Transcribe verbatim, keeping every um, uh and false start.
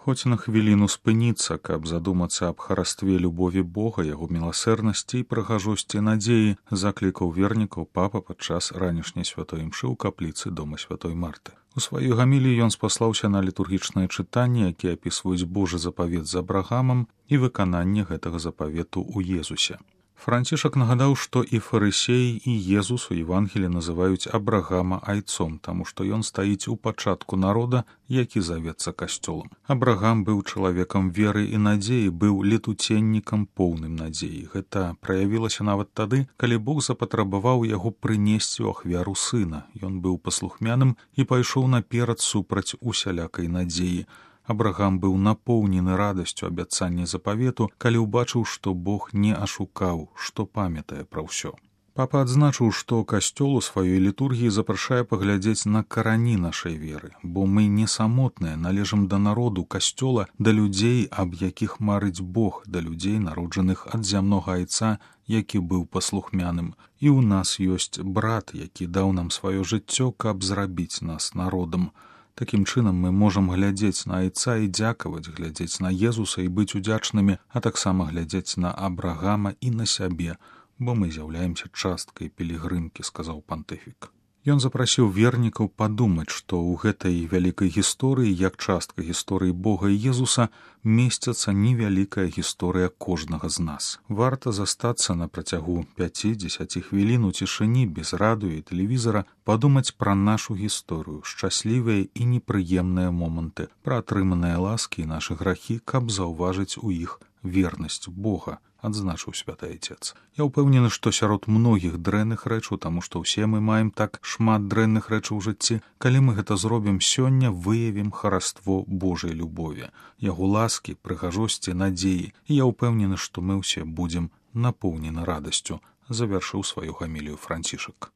Хоць на хвіліну спыніцца, каб задумацца аб харастве любові Бога, яго міласэрнасці і прыгажосці надзеі, заклікаў вернікаў папа падчас ранішняй святой імшы ў капліцы дома святой Марты. У сваёй гаміліі ён спаслаўся на літургічнае чытанне, якія апісваюць Божы запавет з Абрагамам і выкананне гэтага запавету ў Езусе. Францішак нагадаў, што і фарысеі, і Езус у Евангелі называюць Абрагама айцом, таму што ён стаіць у пачатку народа, які завецца касцёлам. Абрагам быў чалавекам веры і надзеі, быў летуценнікам поўным надзеі. Гэта праявілася нават тады, калі Бог запатрабаваў яго прынесці ў ахвяру сына. Ён быў паслухмяным і пайшоў наперад супраць усялякай надзеі. Абрагам быў напоўнены радасцю абяцання запавету, калі ўбачыў, што Бог не ашукаў, што памятае пра ўсё. Папа адзначыў, што касцёл у сваёй літургіі запрашае паглядзець на карані нашай веры, бо мы не самотныя, належым да народу касцёла, да людзей, аб якіх марыць Бог, да людзей, народжаных ад зямнога айца, які быў паслухмяным. І ў нас ёсць брат, які даў нам сваё жыццё, каб зрабіць нас народам. Такім чынам мы можам глядзець на айца і дзякаваць, глядзець на Езуса і быць удзячнымі, а таксама глядзець на Абрагама і на сябе, бо мы з'яўляемся часткай пілігрымкі, сказаў пантыфік. Ён запрасіў вернікаў падумаць, што ў гэтай вялікай гісторыі, як частка гісторыі Бога і Езуса, месціцца невялікая гісторыя кожнага з нас. Варта застацца на працягу пяці-дзесяці хвілін у цішыні, без радыё і тэлевізара, падумаць пра нашу гісторыю, шчаслівыя і непрыемныя моманты, пра атрыманыя ласкі і нашы грахі, каб заўважыць у іх вернасць Бога, адзначыў святы айцец. Я ўпэўнены, што сярод многіх дрэнных рэчаў, таму што ўсе мы маем так шмат дрэнных рэчаў у жыцці, калі мы гэта зробім сёння, выявім хараство Божай любові, яго ласкі, прыгажосці, надзеі, і я ўпэўнены, што мы ўсе будзем напоўнены радасцю, завяршыў сваю гамілію Францішак.